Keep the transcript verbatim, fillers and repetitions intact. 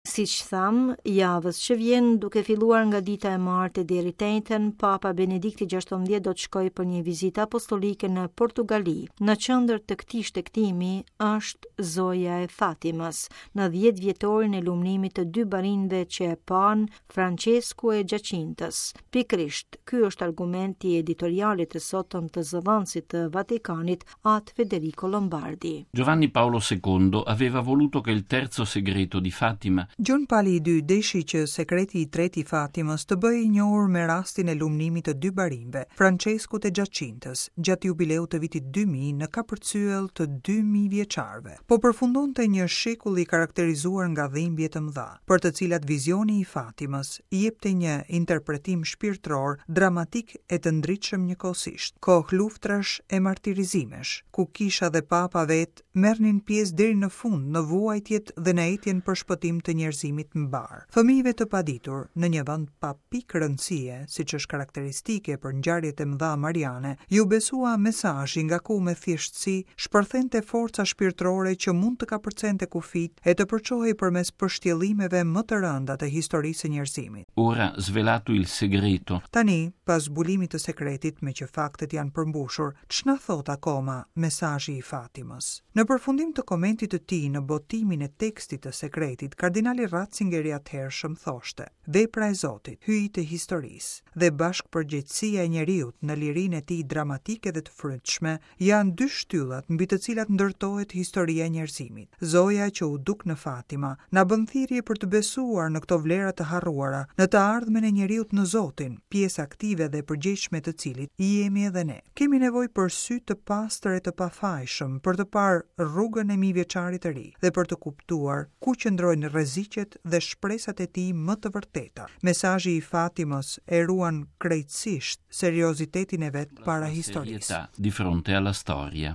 Siç thamë, javës që vjen, duke filluar nga dita e martë deri të enjten, Papa Benedikti gjashtëmbëdhjetë do të shkojë për një vizitë apostolike në Portugali. Në qendër të këtij shtegtimi është Zoja e Fatimës, në dhjetë vjetorin e lumnimit të dy barinjve që e panë, Francesku e Gjacintës. Pikërisht, ky është argumenti i editorialit të sotëm të zëdhënësit të Vatikanit, At Federico Lombardi. Giovanni Paolo secondo aveva voluto che il terzo segreto di Fatima Gjon Pali i dytë deshi që sekreti i tretë i Fatimës të bëhej i njohur me rastin e lumnimit të dy barinjve, Franceskut e Gjacintës, gjatë jubileut të vitit dy mijë në kapërcyell të dy mijë vjeçarëve. Po përfundonte një shekull i karakterizuar nga dhimbje të mëdha, për të cilat vizioni i Fatimës jepte një interpretim shpirtëror, dramatik e të ndritshëm njëkohësisht. Kohë luftrash e martirizimesh, ku kisha dhe papa vet merrnin pjesë deri në fund në vuajtjet dhe në etjen për shpëtim të njerëzimit mbar. Fëmijëve të paditur në një vend pa pikë rëndësie, siç është karakteristike për ngjarjet e mëdha mariane, ju besua mesazhi nga ku me thjeshtësi shpërthente forca shpirtërore që mund të kapërcente kufit e të përçohej përmes pështjellimeve më të rënda të historisë së njerëzimit. Ora svelato il segreto. Tani, pas zbulimit të sekretit, me që faktet janë përmbushur, ç'na thot akoma mesazhi i Fatimës? Në përfundim të komentit të tij në botimin e tekstit të sekretit, kardinali Ratzinger i atëhershëm thoshte: Vepra e Zotit, hyjit të historisë dhe bashkëpërgjegjësia e njeriut në lirinë e tij dramatike dhe të frytshme janë dy shtyllat mbi të cilat ndërtohet historia e njerëzimit. Zoja që u duk në Fatima na bën thirrje për të besuar në këto vlera të harruara, në të ardhmen e njeriut në Zotin, pjesë aktive dhe përgjegjshme të cilit jemi edhe ne. Kemi nevojë për sy të pastër e të pafajshëm për të parë rrugën e mijëvjeçarit të ri dhe për të kuptuar ku qëndrojnë rreziqet dhe shpresat e tij më të vërteta. Mesazhi i Fatimës e ruan krejtësisht seriozitetin e vet para historisë. Di fronte alla storia.